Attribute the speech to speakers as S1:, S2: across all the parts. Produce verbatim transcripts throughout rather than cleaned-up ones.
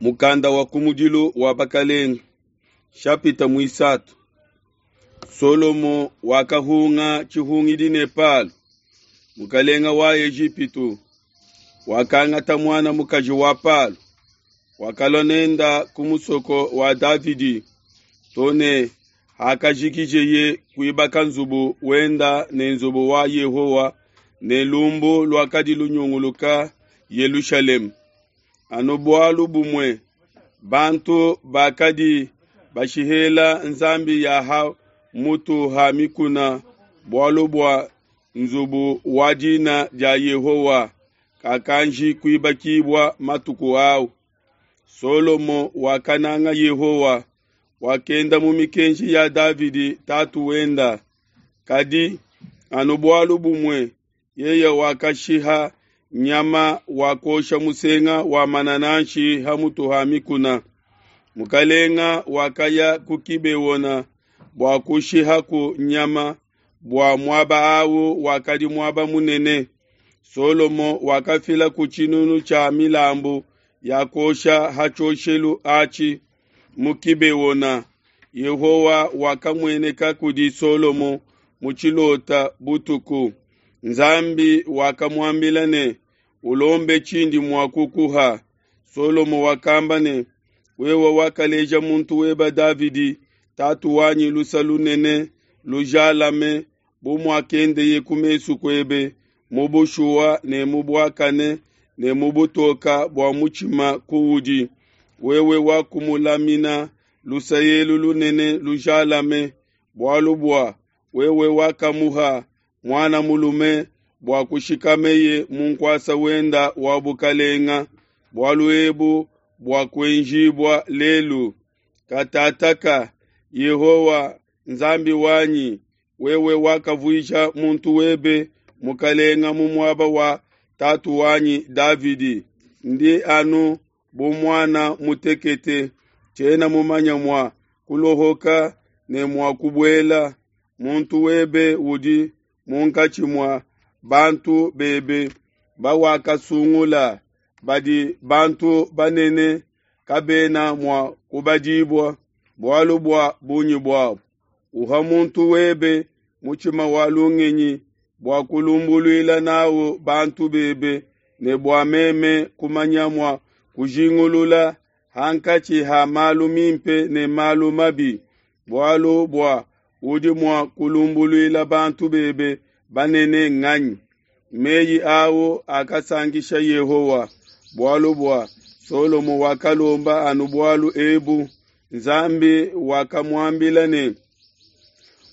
S1: Mukanda wa kumudilu wa Bakalenga, shapita muisatu. Solomo wakahunga tshihungidi ne Palo, mukalenga wa Ejipitu, wakangata muana mukaji wa Palo, wakalua nenda ku musoko wa Davidi, to ne hakajikijeye kuibaka nzubu wenda ne nzubu wa Yehowa ne lumbu luakadi lunyunguluka Yelushalema. Anu bualu bumue, bantu bakadi bashihela nzambi ya ha mutu ha mikuna bualu bua nzubu wa dina dia Yehowa kakanji kuibakibua matuku au. Solomo wakananga Yehowa, wakenda mu mikenji ya Davidi tatu wenda. Kadi anu bualu bumue, yeye wakashiha nyama wakosha musenga wa manananshi ha mutu ha mikuna. Mukalenga wakaya ku Kibeona bua kushihaku nyama, bua muaba awu wakadi muaba munene. Solomo wakafila ku tshinunu tshia milambu ya kuosha ha tshioshelu atshi mu Kibeona. Yehowa wakamueneka kudi Solomo mu tshilota butuku. Nzambi wakamuambila ne, ulombe tshindi mua kukuha. Solomo wakamba ne, wewe wakaleja muntu weba Davidi tatu wanyi lusa lunene lujalame, bu muakendeye ku mesu kuebe mu bushuwa ne mu buakane ne mu butoka bua mutshima kuudi. Wewe wakumulamina lusa elu lunene lujalame, bualu bua wewe wakamuha muana mulume bua kushikameye mu nkuasa wenda wa bukalenga. Bualu ebu bua kuenjibua lelu. Katataka, Yehowa Nzambi wanyi, wewe wakavuija muntu webe mukalenga mu muaba wa tatu wanyi Davidi. Ndi anu bu muana mutekete, tshiena mumanya mua kulohoka ne mua kubuela. Muntu webe udi munkatshi mua bantu bebe bawakasungula, badi bantu banene kabena mua kubadibua bualu bua bungi buabo. Uha muntu webe mutshima wa lungenyi bua kulumbuluila nawu bantu bebe, ne bua meme kumanya mua kujingulula hankatshi ha malu mimpe ne malu mabi, bualu bua udi mua kulumbuluila bantu bebe banene nganyi? Meyi awu akasankisha Yehowa, bualu bua Solomo wakalomba anu bualu ebu. Nzambi wakamuambila ne,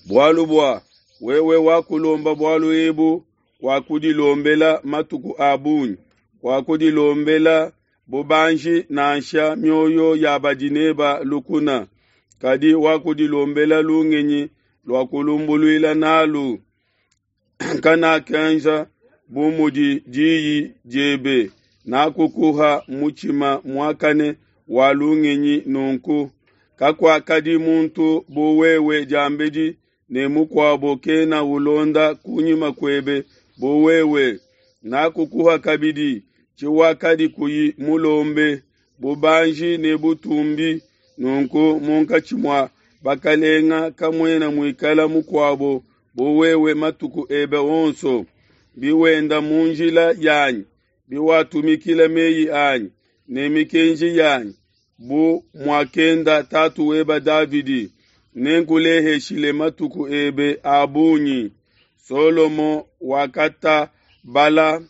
S1: bualu bua wewe wakulomba bualu ebu, wakudilombela matuku a bungi, wakudilombela bubanji nansha mioyo ya badi neba lukuna, kadi wakudilombela lungenyi lua kulumbuluila nalu. Kanakenza bu mudi diyi diebe, nakukuha mutshima muakane wa lungenyi nunku. Kakuakadi muntu bu wewe diambedi, ne mukuabo kena ulonda kunyima kuebe bu wewe. Nakukuha kabidi tshiwakadi kuyi mulombe, bubanji ne butumbi. Nunku munkatshi mua bakalenga kamuena muikala mukuabo bu wewe matuku ebe onso. Biwenda mu njila yanyi, biwatumikila meyi anyi ne mikenji yanyi, bu muakenda tatu weba Davidi, nenkuleheshile matuku ebe a bungi. Solomo wakatabala,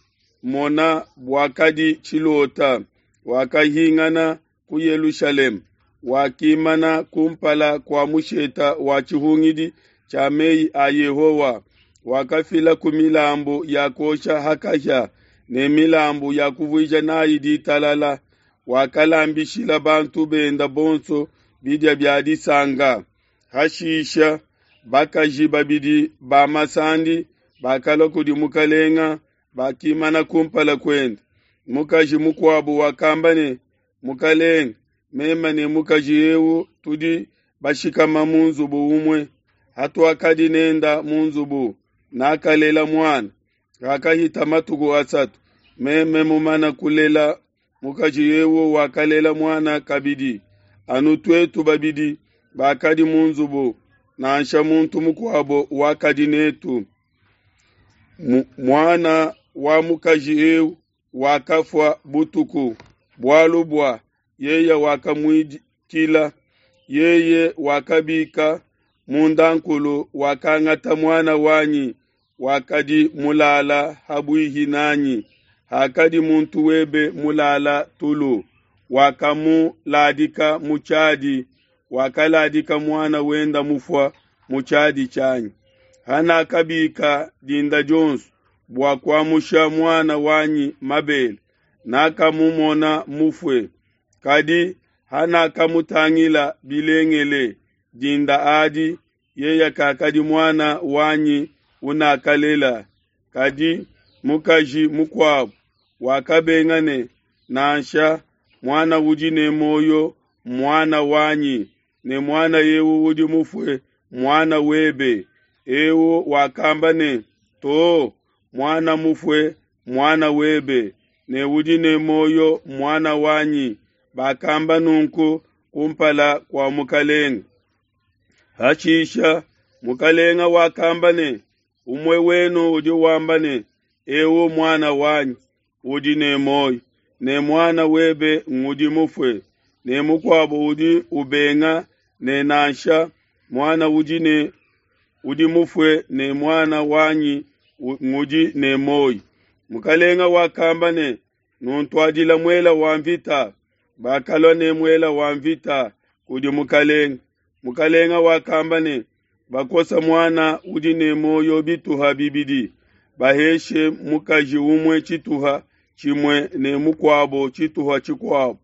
S1: mona buakadi tshilota, wakahingana ku Yelushalema, wakimana kumpala kua musheta wa tshihungidi tshia meyi a Yehowa, wakafila ku milambu ya kuosha ha kahia ne milambu ya kuvuija nayi ditalala. Wakalambishila bantu benda bonso bidia bia disanka. Hashisha bakaji babidi ba masandi bakalua kudi mukalenga, bakimana kumpala kuende. Mukaji mukuabu wakamba ne, mukalenga, meme ne mukaji eu tudi bashikama mu nzubu umue. Hatuakadi nenda mu nzubu, nakalela muana. Hakahita matuku asatu, meme mumana kulela mukaji eu wakalela muana kabidi. Anu tuetu babidi bakadi mu nzubu, nansha muntu mukuabo wakadi netu. Muana wa mukaji eu wakafua butuku, bualu bua yeye wakamuidikila. Yeye wakabika mundankulu, wakangata muana wanyi wakadi mulala ha buihi nanyi, hakadi muntu webe mulala tulu, wakamuladika mu tshiadi, wakaladika muana wenda mufua mu tshiadi tshianyi. Hanakabika dinda dionso bua kuamusha muana wanyi mabele, nakamumona mufue. Kadi hanakamutangila bilengele dinda adi, yeye kakadi muana wanyi unakalela, kadi mukaji mukuabo. Wakabenga ne, Nansha, muana udi ne muoyo mmuana wanyi, ne muana eu udi mufue mmuana webe. Eu wakamba ne, To, muana mufue mmuana webe, ne udi ne muoyo mmuana wanyi. Bakamba nunku kumpala kua mukelenge. Hashisha mukelenge wakamba ne, Umue wenu udi wamba ne, Eu muana wanyi udi ne muoyo, ne muana webe ngudi mufue, ne mukuabo udi ubenga ne, Nansha, muana udi ne udi mufue ne muana wanyi ngudi ne muoyo. Mukelenge wakamba ne, Nuntuadile muele wa nvita. Bakalua ne muele wa nvita kudi mukelenge. Mukelenge wakamba ne, Bakosa muana udi ne muoyo bituha bibidi, baheshe mukaji umue tshituha tshimue ne mukuabo tshituha tshikuabo.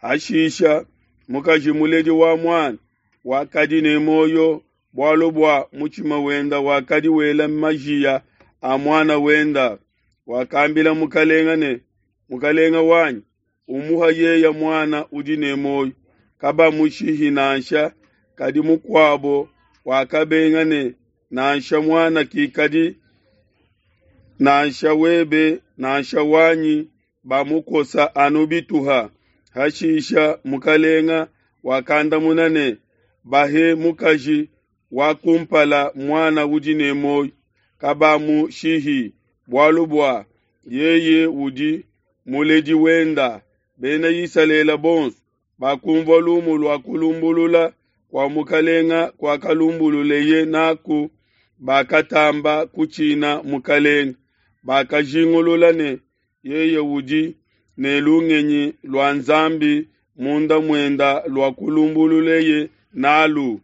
S1: Hashisha mukaji muledi wa muana wakadi ne muoyo, bualu bua mutshima wenda wakadi wela majia a muana wenda, wakambila mukelenge ne, Mukelenge wanyi, umuha yeye muana udi ne muoyo, kabamushihi nansha. Kadi mukuabo wakabenga ne, Nansha, muana kikadi nansha webe nansha wanyi, bamukosa anu bituha. Hashisha mukelenge wakandamuna ne, Bahe mukaji wa kumpala muana udi ne muoyo, kabamushihi, bualu bua yeye udi muledi wenda. Bena Isalele bonso bakunvua lumu lua kulumbulula kua mukelenge kuakalumbululeye naku, bakatamba kutshina mukelenge. Bakajingulula ne, Yeye udi ne lungenyi lua Nzambi munda muenda lua kulumbululeye nalu.